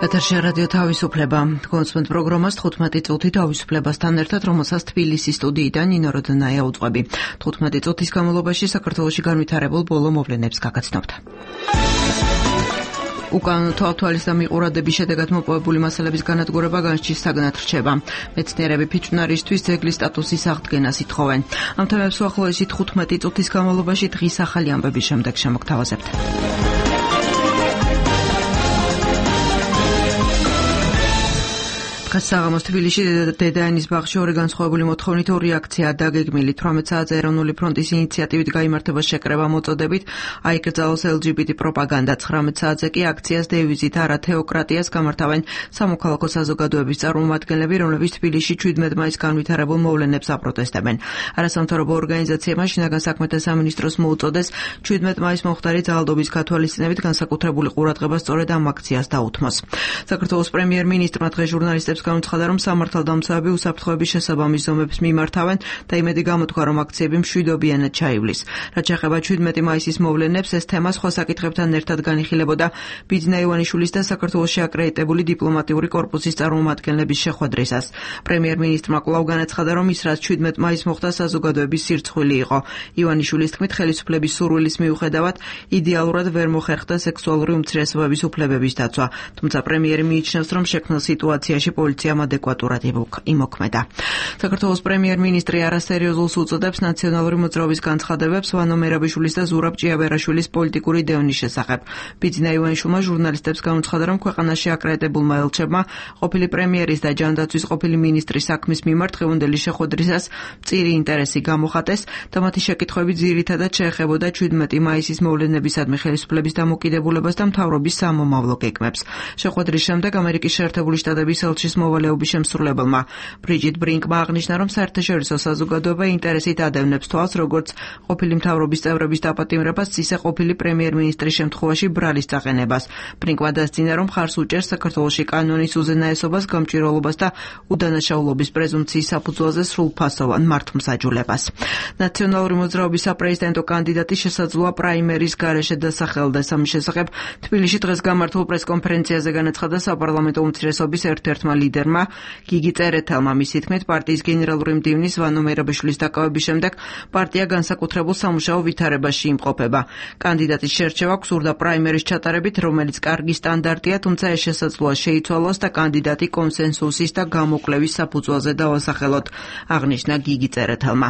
ეთერში რადიო თავისუფლება. კონსპონდენტ პროგრამას 15 წუთი თავისუფლებასთან ერთად, რომელსაც თბილისის სტუდიიდან ნინო როდნაია უძღვები. 15 წუთის განმავლობაში საქართველოში განვითარებულ ბოლო მოვლენებს გაგაცნობთ. უკანონო თვალთვალის და მიყურადების შედეგად მოპოვებული მასალების განადგურება განსჯის საგნად რჩება. მეცნიერები ფიჭვნარისთვის ძეგლის სტატუსის აღდგენას ითხოვენ. ამ თემებს უახლოესი 15 წუთის განმავლობაში დღის ახალი ამბების შემდეგ შემოგთავაზებთ. საღამოს თბილისში დედაენის ბაღში ორი განსხვავებული მოთხოვნით ორი აქცია დაგეგმილი 18 საათზე ეროვნული ფრონტის ინიციატივით გაიმართება შეკრება მოწოდებით აიკრძალოს LGBT პროპაგანდა 19 საათზე კი აქციას დევიზით არა თეოკრატიას გამართავენ სამოქალაქო საზოგადოების წარმომადგენლები რომლებიც თბილისში 17 მაისს განვითარებულ მოვლენებს აპროტესტებენ არასამთავრობო ორგანიზაციებმა შინაგან საქმეთა სამინისტროს მოუწოდეს 17 მაისს მომხდარი ძალადობის გათვალისწინებით განსაკუთრებული ყურადღება სწორედ ამ აქციას დაუთმოს საქართველოს პრემიერ-მინისტრმა დღეს ჟურნალისტებს განუცხადა, რომ სამართალდამცავები უსაფრთხოების შესაბამის ზომებს მიმართავენ და იმედი გამოთქვა, რომ აქციები მშვიდობიანად ჩაივლის. რაც შეეხება 17 მაისის მოვლენებს, ეს თემა სხვა საკითხებთან ერთად განიხილებოდა ბიძინა ივანიშვილის და საქართველოში აკრედიტებული დიპლომატიური კორპუსის წარმომადგენლების შეხვედრისას. პრემიერ-მინისტრმა კვლავ განაცხადა, რომ ის რაც 17 მაისს მოხდა საზოგადოების სირცხვილი იყო. ივანიშვილის თქმით, ხელისუფლების სურვილის მიუხედავად იდეალურად ვერ მოხერხდა სექსუალური უმცირესობების უფლებების დაცვა. თუმცა პრემიერი მიიჩნევს, რომ შექმნილ სიტუაციაში პოლიციამ ადეკვატურად იმოქმედა. საქართველოს პრემიერ-მინისტრი არასერიოზულს უწოდებს ნაციონალური მოძრაობის განცხადებებს ვანო მერაბიშვილის და ზურაბ ჭიაბერაშვილის პოლიტიკური დევნის შესახებ. ბიძინა ივანიშვილმა ჟურნალისტებს განუცხადა, რომ ქვეყანაში აკრედიტებულმა ელჩებმა ყოფილი პრემიერის და ჯანდაცვის ყოფილი მინისტრის საქმის მიმართ დღევანდელი შეხვედრისას მწირი ინტერესი გამოხატეს და მათი შეკითხვები ძირითადად შეეხებოდა 17 მაისის მოვლენებისადმი ხელისუფლების დამოკიდებულებას და მთავრობის სამომავლო გეგმებს. შეხვედრის შემდეგ ამერიკის შეერთებული შტატების ელჩის მოვალეობის შემსრულებელმა ბრიჯიტ ბრინკმა აღნიშნა, რომ საერთაშორისო საზოგადოება ინტერესით ადევნებს თვალს როგორც ყოფილი მთავრობის წევრების დაპატიმრებას, ისე ყოფილი პრემიერ-მინისტრის შემთხვევაში ბრალის წაყენებას. ბრინკმა დასძინა, რომ მხარს უჭერს საქართველოში კანონის უზენაესობას, გამჭვირვალობას და უდანაშაულობის პრეზუმპციის საფუძველზე სრულფასოვან მართლმსაჯულებას. ნაციონალური მოძრაობის საპრეზიდენტო კანდიდატი შესაძლოა პრაიმერის გარეშე დასახელდეს. ამის შესახებ თბილისში დღეს გამართულ პრესკონფერენციაზე განაცხადა საპარლამენტო უმცირესობის ერთ-ერთმა ლიდერმა გიგი წერეთელმა. მისი თქმით, პარტიის გენერალური მდივნის ვანო მერაბიშვილის დაკავების შემდეგ პარტია განსაკუთრებულ სამუშაო ვითარებაში იმყოფება. კანდიდატის შერჩევა გსურდა პრაიმერის ჩატარებით, რომელიც კარგი სტანდარტია, თუმცა ეს შესაძლოა შეიცვალოს და კანდიდატი კონსენსუსის და გამოკვლევის საფუძველზე დავასახელოთ, აღნიშნა გიგი წერეთელმა.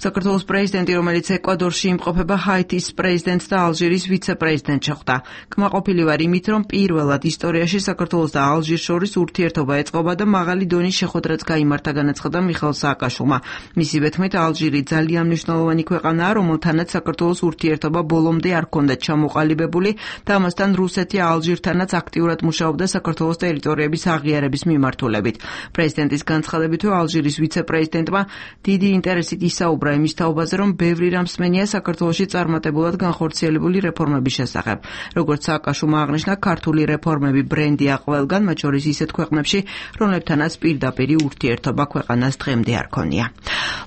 საქართველოს პრეზიდენტი, რომელიც ეკვადორში იმყოფება, ჰაიტის პრეზიდენტს და ალჟირის ვიცე-პრეზიდენტს შეხვდა. კმაყოფილი ვარ იმით, რომ პირველად ისტორიაში საქართველოს და ალჟირს შორის ურთიერთობა ეწყობა და მაღალი დონის შეხვედრაც გაიმართა, განაცხადა მიხეილ სააკაშვილმა. მისივე თქმით, ალჟირი ძალიან მნიშვნელოვანი ქვეყანაა, რომელთანაც საქართველოს ურთიერთობა ბოლომდე არ ჰქონდა ჩამოყალიბებული და ამასთან რუსეთი ალჟირთანაც აქტიურად მუშაობდა საქართველოს ტერიტორიების აღიარების მიმართულებით. პრეზიდენტის განცხადებითვე ალჟირის ვიცე-პრეზიდენტმა დიდი ინტერესით ისაუბრა იმის თაობაზე, რომ ბევრი რამ სმენია საქართველოში წარმატებულად განხორციელებული რეფორმების შესახებ. როგორც სააკაშვილმა აღნიშნა, ქართული რეფორმები ბრენდია ყველგან, მათ შორის ისეთ ქვეყნებში, რომლებთანაც პირდაპირი ურთიერთობა ქვეყანას დღემდე არ ქონია.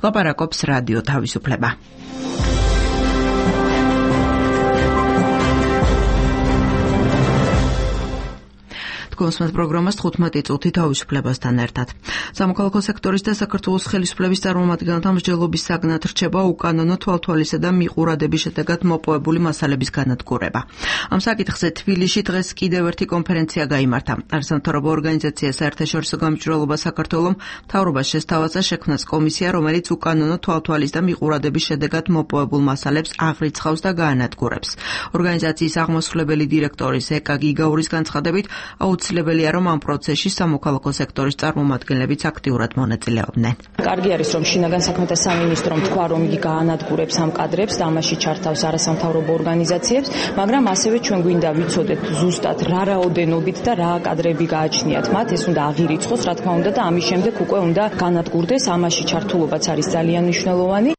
ლაპარაკობს რადიო თავისუფლება. კონსპონდენტ პროგრამას 15 წუთი თავისუფლებასთან ერთად. სამოქალაქო სექტორის და საქართველოს ხელისუფლების წარმომადგენელთა მსჯელობის საგნად რჩება უკანონო თვალთვალისა და მიყურადების შედეგად მოპოვებული მასალების განადგურება. ამ საკითხზე თბილისში დღეს კიდევ ერთი კონფერენცია გაიმართა. არასამთავრობო ორგანიზაცია საერთაშორისო გამჭვირვალობა საქართველომ მთავრობას შესთავაზა შექმნას კომისია, რომელიც უკანონო თვალთვალის და მიყურადების შედეგად მოპოვებულ მასალებს აღრიცხავს და გაანადგურებს. ორგანიზაციის აღმასრულებელი დირექტორის ეკა გიგაურის განცხადებით, აუცილებელია, რომ ამ პროცესში სამოქალაქო სექტორის წარმომადგენლებიც აქტიურად მონაწილეობდნენ. კარგი არის, რომ შინაგან საქმეთა სამინისტრომ თქვა, რომ იგი გაანადგურებს ამ კადრებს და ამაში ჩართავს არასამთავრობო ორგანიზაციებს, მაგრამ ასევე ჩვენ გვინდა ვიცოდეთ ზუსტად რა რაოდენობით და რა კადრები გააჩნიათ მათ, ეს უნდა აღირიცხოს, რა თქმა უნდა და ამის შემდეგ უკვე უნდა განადგურდეს, ამაში ჩართულობაც არის ძალიან მნიშვნელოვანი.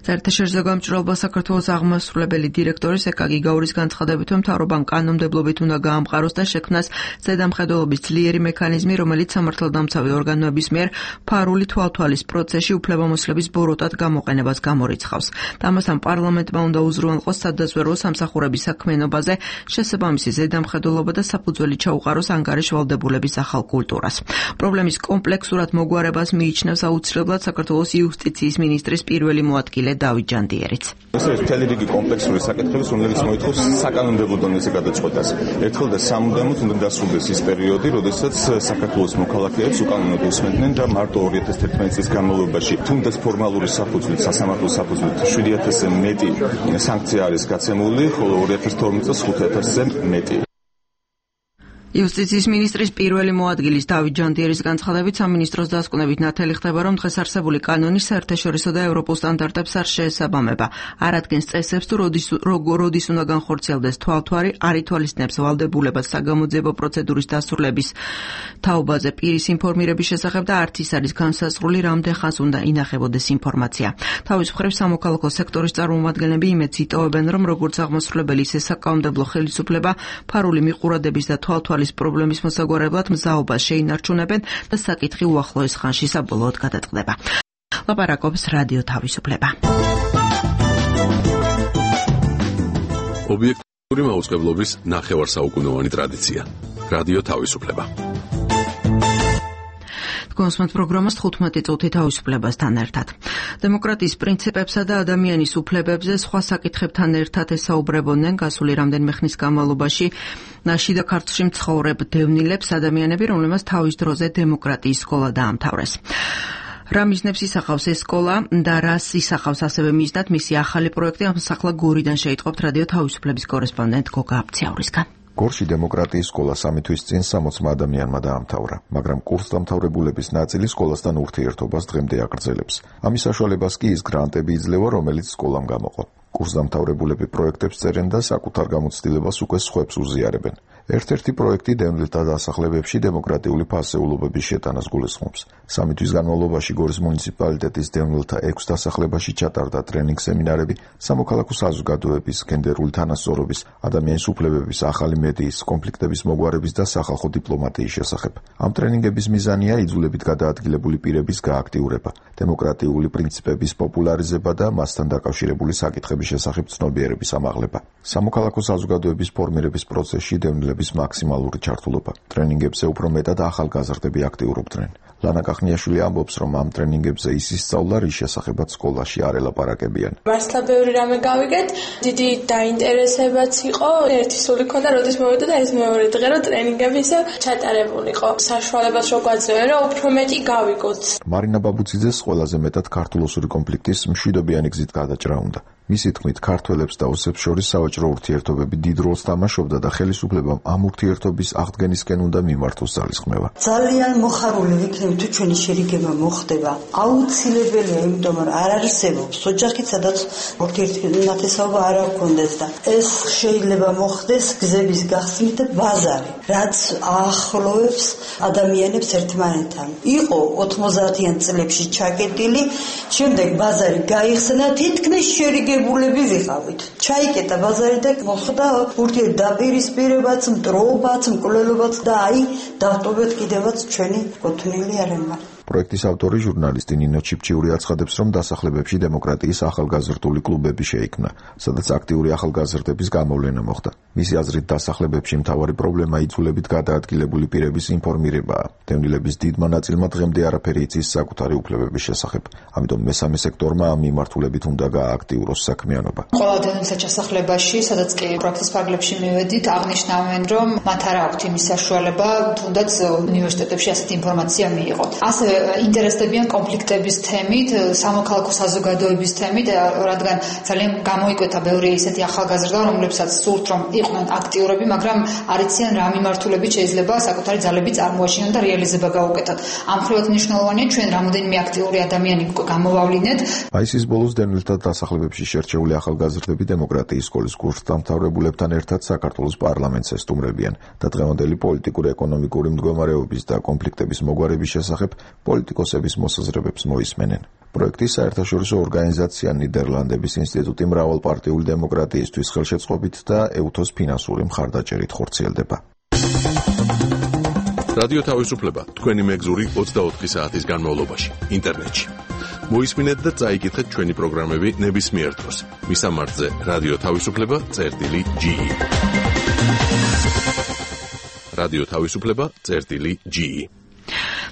საერთაშორისო გამჭვირვალობა საქართველოს აღმასრულებელი დირექტორის ეკაგი გაურის განცხადებით, რომ მთავრობამ კანონმდებლობით უნდა გაამყაროს და შექმნას ზედამხედველობის ძლიერი მექანიზმი, რომელიც სამართალდამცავი ორგანოების მიერ ფარული თვალთვალის პროცესში უფლებამოსილების ბოროტად გამოყენებას გამორიცხავს. ამასთან პარლამენტმა უნდა უზრუნველყოს სადაზვერვო სამსახურების საქმიანობაზე შესაბამისი ზედამხედველობა და საფუძველი ჩაუყაროს ანგარიშ ვალდებულების ახალ კულტურას. პრობლემის კომპლექსურად მოგვარებას მიიჩნევს აუცილებლად საქართველოს იუსტიციის მინისტრის პირველი მოადგილე დავით ჯანდიერიც. ეს მთელი რიგი კომპლექსური საკითხების, რომელიც მოითხოვს საკანონმდებლო დონეზე გადაწყვეტას. ერთხელ და სამუდამოდ უნდა დასრულდეს ის პერიოდი, როდესაც საქართველოს მოქალაქეებს უკანონოდ უსმენდნენ და მარტო 2011 წლის განმავლობაში თუნდაც ფორმალური საფუძვლით, სასამართლო საფუძვლით 7000-ზე მეტი სანქცია არის გაცემული, ხოლო 2012 წელს 5000-ზე მეტი. იუსტიციის მინისტრის პირველი მოადგილის დავით ჯანდიერის განცხადებით სამინისტროს დასკვნებით ნათელი ხდება, რომ დღეს არსებული კანონი საერთაშორისო და ევროპულ სტანდარტებს არ შეესაბამება. არ ადგენს წესებს თუ როდის უნდა განხორციელდეს თვალთვარი, არ ითვალისწინებს ვალდებულებას საგამოძიებო პროცედურის დასრულების თაობაზე პირის ინფორმირების შესახებ და არც ის არის განსაზღვრული, რამდენ ხანს უნდა ინახებოდეს ინფორმაცია. თავის მხრივ სამოქალაქო სექტორის წარმომადგენლები იმედს იტოვებენ, რომ როგორც აღმასრულებელი, ისე საკანონმდებლო ხელისუფლება ფარული მიყურადების და თვალთვალის პრობლემის მოსაგვარებლად მზაობას შეინარჩუნებენ და საკითხი უახლოეს ხანში საბოლოოდ გადაწყდება. ლაპარაკობს რადიო თავისუფლება. ობიექტური მაუწყებლობის ნახევარსაუკუნოვანი ტრადიცია. რადიო თავისუფლება. გონსმენთ პროგრამას 15 წუთი თავისუფლებასთან ერთად. დემოკრატიის პრინციპებსა და ადამიანის უფლებებზე სხვა საკითხებთან ერთად ესაუბრებოდნენ გასული რამდენიმე ხნის განმავლობაში შიდა ქართლში მცხოვრებ დევნილებს ადამიანები, რომლებმაც თავის დროზე დემოკრატიის სკოლა დაამთავრეს. რა მიზნებს ისახავს ეს სკოლა და რას ისახავს ასევე მიზნად მისი ახალი პროექტი, ამას ახლა გორიდან შეიტყობთ რადიო თავისუფლების კორესპონდენტ გოგა აბციაურისგან. გორში დემოკრატიის სკოლა 3 თვის წინ 60 ადამიანმა დაამთავრა, მაგრამ კურსდამთავრებულების ნაწილი სკოლასთან ურთიერთობას დღემდე აგრძელებს. ამის საშუალებას კი ის გრანტები იძლევა, რომელიც სკოლამ გამოყო. კურსდამთავრებულები პროექტებს წერენ და საკუთარ გამოცდილებას უკვე სხვებს უზიარებენ. ერთ-ერთი პროექტი დევნილთა დასახლებებში დემოკრატიული ფასეულობების შეტანას გულისხმობს. 3 თვის განმავლობაში გორის მუნიციპალიტეტის დევნილთა 6 დასახლებაში ჩატარდა ტრენინგ სემინარები სამოქალაქო საზოგადოების, გენდერული თანასწორობის, ადამიანის უფლებების, ახალი მედიის, კონფლიქტების მოგვარების და სახალხო დიპლომატიის შესახებ. ამ ტრენინგების მიზანია იძულებით გადაადგილებული პირების გააქტიურება, დემოკრატიული პრინციპების პოპულარიზება და მასთან დაკავშირებული საკითხების შესახებ ცნობიერების ამაღლება. სამოქალაქო საზოგადოების ფორმირების პროცესში დევნილების მაქსიმალური ჩართულობა. ტრენინგებზე უფრო მეტად ახალგაზრდები აქტიურობდნენ. ლანა კახნიაშვილი ამბობს, რომ ამ ტრენინგებზე ის ისწავლა, რის შესახებაც სკოლაში არ ელაპარაკებიან. მართლა ბევრი რამე გავიგეთ, დიდი დაინტერესებაც იყო, ერთი სული ქონდა, როდის მოვიდა და ეს მეორე დღე რომ ტრენინგები ისე ჩატარებულიყო. საშუალებას რო გვაძლევენ, რომ უფრო მეტი გავიგოთ. მარინა ბაბუციძეს ყველაზე მეტად ქართულ-ოსური კონფლიქტის მშვიდობიანი გზით გადაჭრა უნდა. მისი თქმით, ქართველებს და ოსებს შორის სავაჭრო ურთიერთობები დიდ როლს თამაშობდა და ხელისუფლებამ ამ ურთიერთობის აღდგენისკენ უნდა მიმართოს ძალისხმევა. ძალიან მოხარული ვიქნები თუ ჩვენი შერიგება მოხდება. აუცილებელია, იმიტომ რომ არ არსებობს ოჯახი, სადაც ურთიერთნათესაობა არ აქვს და ეს შეიძლება მოხდეს გზების გახსნით და ბაზარი, რაც აახლოვებს ადამიანებს ერთმანეთთან. იყო 90-იან წლებში ჩაკეტილი, შემდეგ ბაზარი გაიხსნა, თითქმის შერიგებულები ვიყავით. ჩაიკეტა ბაზარი და მოხდა ურთიერთდაპირისპირებაც, მტრობაც, მკვლელობაც და აი დავტოვეთ კიდევაც ჩვენი კუთვნილი არემა. პროექტის ავტორი ჟურნალისტი ნინო ჩიფჩიური აცხადებს, რომ დასახლებებში დემოკრატიის ახალგაზრდული კლუბები შეიქმნა, სადაც აქტიური ახალგაზრდების გამოვლენა მოხდა. მისი აზრით, დასახლებებში მთავარი პრობლემა იძულებით გადაადგილებული პირების ინფორმირებაა. დევნილების დიდმა ნაწილმა დღემდე არაფერი იცის საკუთარი უფლებების შესახებ. ამიტომ მესამე სექტორმა ამ მიმართულებით უნდა გაააქტიუროს საქმიანობა. ყველა დევნილთა ჩასახლებაში, სადაც კი პროექტის ფარგლებში მივედით, აღნიშნავენ, რომ მათ არ აქვთ იმის საშუალება, თუნდაც უნივერსიტეტებში ასეთი ინფორმაცია მიიღოთ. ასევე ინტერესდებიან კონფლიქტების თემით, სამოქალაქო საზოგადოების თემით, რადგან ძალიან გამოიკვეთა ბევრი ისეთი ახალგაზრდა, რომლებსაც სურთ რომ იყვნენ აქტიურები, მაგრამ არ იციან რა მიმართულებით შეიძლება საკუთარი ძალები წარმოაჩინონ და რეალიზება გაუკეთოთ. ამ მხრივაც მნიშვნელოვანია ჩვენ რამოდენიმე აქტიური ადამიანი გამოვავლინეთ. მაისის ბოლოს დევნილთა დასახლებებში შერჩეული ახალგაზრდები დემოკრატიის სკოლის კურსდამთავრებულებთან ერთად საქართველოს პარლამენტს ესტუმრებიან და დღევანდელი პოლიტიკური, ეკონომიკური მდგომარეობის და კონფლიქტების მოგვარების შესახებ პოლიტიკოსების მოსაზრებებს მოისმენენ. პროექტის საერთაშორისო ორგანიზაცია ნიდერლანდების ინსტიტუტი მრავალპარტიული დემოკრატიისთვის ხელშეწყობით და EUTHO-ს ფინანსური მხარდაჭერით ხორციელდება. რადიო თავისუფლება თქვენი მეგზური 24 საათის განმავლობაში ინტერნეტში. მოისმინეთ და წაიკითხეთ ჩვენი პროგრამები ნებისმიერ დროს. მისამართზე რადიო თავისუფლება.ge. რადიო თავისუფლება.ge.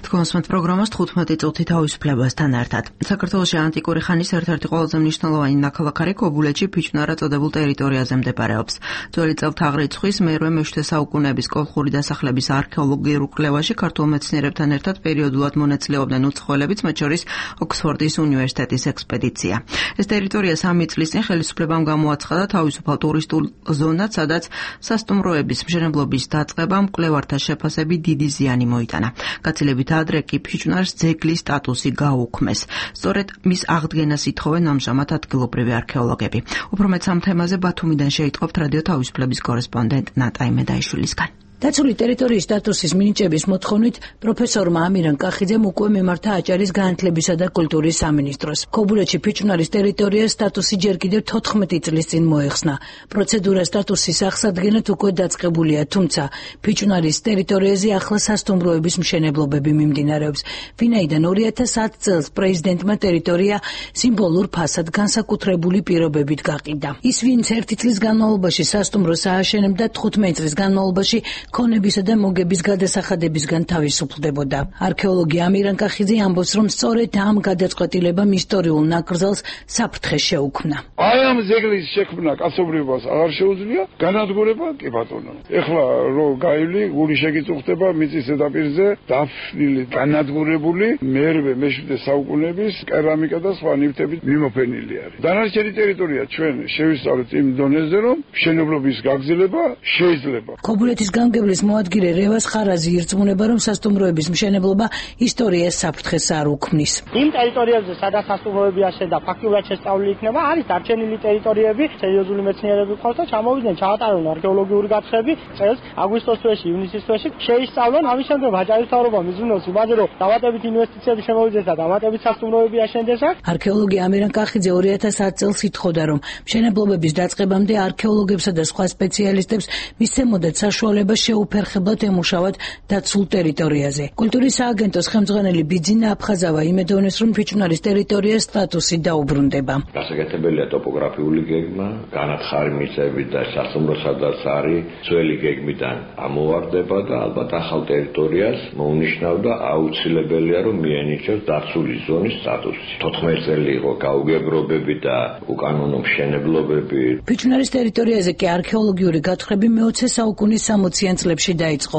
თქვენსმენთ პროგრამას 15 წუთი თავისუფლებასთან ერთად. საქართველოში ანტიკური ხანის ერთ-ერთი ყველაზე მნიშვნელოვანი ნაქალაქარი ქობულეთში ფიჭვნარა წოდებულ ტერიტორიაზე მდებარეობს. ძველი წელთაღრიცხვის მე-8 საუკუნეების კოლხური დასახლების არქეოლოგიურ კვლევაში ქართულ მეცნიერებთან ერთად პერიოდულად მონაწილეობდნენ უცხოელებიც, მათ შორის ოქსფორდის უნივერსიტეტის ექსპედიცია. ეს ტერიტორია 3 წლის წინ ხელისუფლებამ გამოაცხადა თავისუფალ ტურისტულ ზონად, სადაც სასტუმროების მშენებლობის დაწყებამ მკვლევართა შეფასებით დიდი ზიანი მოიტანა. გაცილებით ადრე კი ფიჭვნარს ძეგლის სტატუსი გაუქმეს. სწორედ მის აღდგენას ითხოვენ ამჟამად ადგილობრივი არქეოლოგები. უფრო მეტ ამ თემაზე ბათუმიდან შეიტყობთ რადიო თავისუფლების კორესპონდენტ ნატაი მედაიშვილისგან. დაცული ტერიტორიის სტატუსის მინიჭების მოთხოვნით პროფესორმა ამირან კახიძემ უკვე მიმართა აჭარის განათლებისა და კულტურის სამინისტროს. ქობულეთში ფიჭვნარის ტერიტორიას სტატუსი ჯერ კიდევ 14 წლის წინ მოეხსნა. პროცედურა სტატუსის აღსადგენად უკვე დაწყებულია, თუმცა ფიჭვნარის ტერიტორიაზე ახლა სასტუმროების მშენებლობები მიმდინარეობს. ვინაიდან 2010 წელს პრეზიდენტმა ტერიტორია სიმბოლურ ფასად განსაკუთრებული პირობებით გაყიდა. ის, ვინც 1 წლის განმავლობაში სასტუმროს ააშენებდა, 15 წლის განმავლობაში ქონებისა და მოგების გადასახადებისგან თავისუფლდებოდა. არქეოლოგი ამირან კახიძე ამბობს, რომ სწორედ ამ გადაწყვეტილებამ ისტორიულ ნაკრძალს საფრთხე შეუქმნა. აი ამ ძეგლის შექმნა კაცობრიობას აღარ შეუძლია, განადგურება კი ბატონო. ეხლა რო გაივლი, გული შეგიწუხდება მიწის ზედაპირზე, დაფნილი, განადგურებული მე-7 საუკუნეების კერამიკა და სხვა ნივთებით მიმოფენილი არის. დანარჩენი ტერიტორია ჩვენ შევისწავლეთ იმ დონეზე, რომ მშენებლობის გაგრძელება შეიძლება. ქობულეთის გამგებლის მოადგილე რევას ხარაზი ირწმუნება, რომ სასტუმროების მშენებლობა ისტორიას საფრთხეს არ უქმნის. იმ ტერიტორიებზე, სადაც სასტუმროები აშენდა, ფაქტიურად შესწავლილი იქნება, არის დარჩენილი ტერიტორიები, სერიოზული მეცნიერები ყავს და ჩამოვიდნენ, ჩაატარონ არქეოლოგიური გათხრები წელს აგვისტოს თვეში, ივნისის თვეში, შეისწავლონ, ამის შემდეგ აჭარის მთავრობა მიზნობს იმაზე, რომ დამატებით ინვესტიციები შემოვიდეს და დამატებით სასტუმროები აშენდეს. არქეოლოგი ამირან კახიძე 2010 წელს ითხოვდა, რომ მშენებლობების დაწყებამდე არქეოლოგებსა და სხვა სპეციალისტებს მისცემოდათ საშუალება შეუფერხებლად ემუშავათ დაცულ ტერიტორიაზე. კულტურის სააგენტოს ხელმძღვანელი ბიძინა აფხაზავა იმედოვნებს, რომ ფიჭვნარის ტერიტორიას სტატუსი დაუბრუნდება. გასაკეთებელია ტოპოგრაფიული გეგმა, განათხარი მიწები და სასტუმრო სადაც არის, ძველი გეგმიდან ამოვარდება და ალბათ ახალ ტერიტორიას მოუნიშნავდა აუცილებელია, რომ მიენიჭოს დაცული ზონის სტატუსი. 14 წელი იყო გაუგებრობები და უკანონო მშენებლობები. ფიჭვნარის ტერიტორიაზე კი არქეოლოგიური გათხრები მე-20 საუკუნის 60-იან წლებში დაიწყო.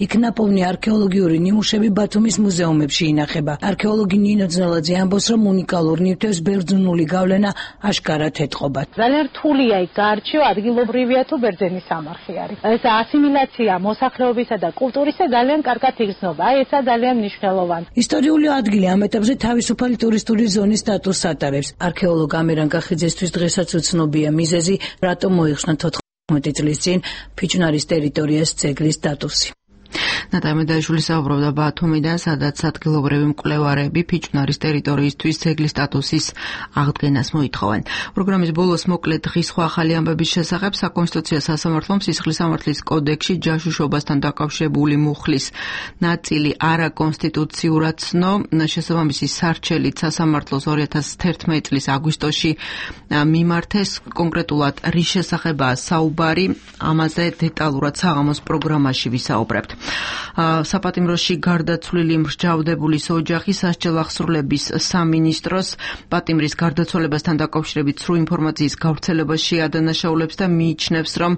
იქ ნაპოვნი არქეოლოგიური ნიმუშები ბათუმის მუზეუმებში ინახება. არქეოლოგი ნინო ძნელაძე ამბობს, რომ უნიკალურ ნივთებს ბერძნული გავლენა აშკარად ეთყობათ. ძალიან რთულია იქ გაარჩიო, ადგილობრივია თუ ბერძენის სამარხი არის. ეს ასიმილაცია მოსახლეობისა და კულტურისა ძალიან კარგად იგრძნობა. აი ესა ძალიან მნიშვნელოვანი. ისტორიული ადგილი ამ ეტაპზე თავისუფალი ტურისტული ზონის სტატუსს ატარებს. არქეოლოგ ამირან კახიძესთვის დღესაც უცნობია მიზეზი, რატომ მოიხსნა 14 წლის წინ ფიჭვნარის ტერიტორიას ძეგლის სტატუსი. ნატაი მედაიშვილი საუბრობდა ბათუმიდან, სადაც ადგილობრივი მკვლევარები ფიჭვნარის ტერიტორიისთვის ძეგლის სტატუსის აღდგენას მოითხოვენ. პროგრამის ბოლოს მოკლედ დღის სხვა ახალი ამბების შესახებ საკონსტიტუციო სასამართლომ სისხლის სამართლის კოდექსში ჯაშუშობასთან დაკავშირებული მუხლის ნაწილი არაკონსტიტუციურად ცნო. შესაბამისი სარჩელით სასამართლოს 2011 წლის აგვისტოში მიმართეს. კონკრეტულად რის შესახებაა საუბარი, ამაზე დეტალურად საღამოს პროგრამაში ვისაუბრებთ. საპატიმროში გარდაცვლილი მსჯავრდებულის ოჯახი სასჯელ აღსრულების სამინისტროს პატიმრის გარდაცვალებასთან დაკავშირებით სრულ ინფორმაციის გავრცელებას შეადანაშაულებს და მიიჩნევს, რომ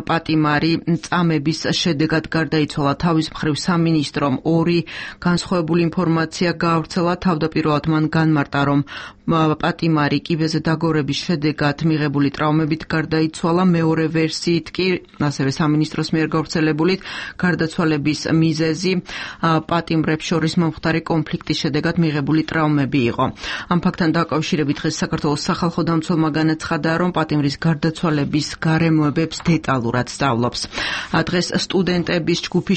პატიმარი წამების შედეგად გარდაიცვალა. თავის მხრივ სამინისტრომ 2 განსხვავებული ინფორმაცია გაავრცელა. თავდაპირველად მან განმარტა, რომ პატიმარი კიბეზე დაგორების შედეგად მიღებული ტრავმებით გარდაიცვალა. მეორე ვერსიით კი, ასევე სამინისტროს მიერ გავრცელებული გარდაცვალების მიზეზი პატიმრებს შორის მომხდარი კონფლიქტის შედეგად მიღებული ტრავმები იყო. ამ ფაქტთან დაკავშირებით დღეს საქართველოს სახალხო დამცველმა განაცხადა, რომ პატიმრის გარდაცვალების გარემოებებს დეტალურად სწავლობს. დღეს სტუდენტების ჯგუფი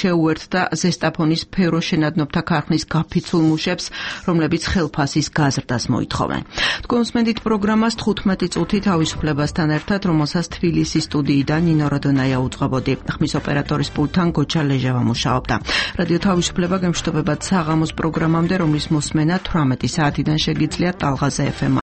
შეუერთდა ზესტაფონის ფეროშენადნობთა ქარხნის გაფიცულ მუშებს, რომლებიც ხელფასის გაზრდას მოითხოვენ. თქვენ უსმენთ პროგრამას 15 წუთი თავისუფლებასთან ერთად, რომელსაც თბილისის სტუდიიდან ნინო როდონაია უძღვებოდი. ხმის ოპერატორის პულტთან გოჩა ლეჟავა მუშაობდა. რადიო თავისუფლება გემშვიდობებად საღამოს პროგრამამდე, რომლის მოსმენა 18 საათიდან შეგიძლიათ ტალღაზე FM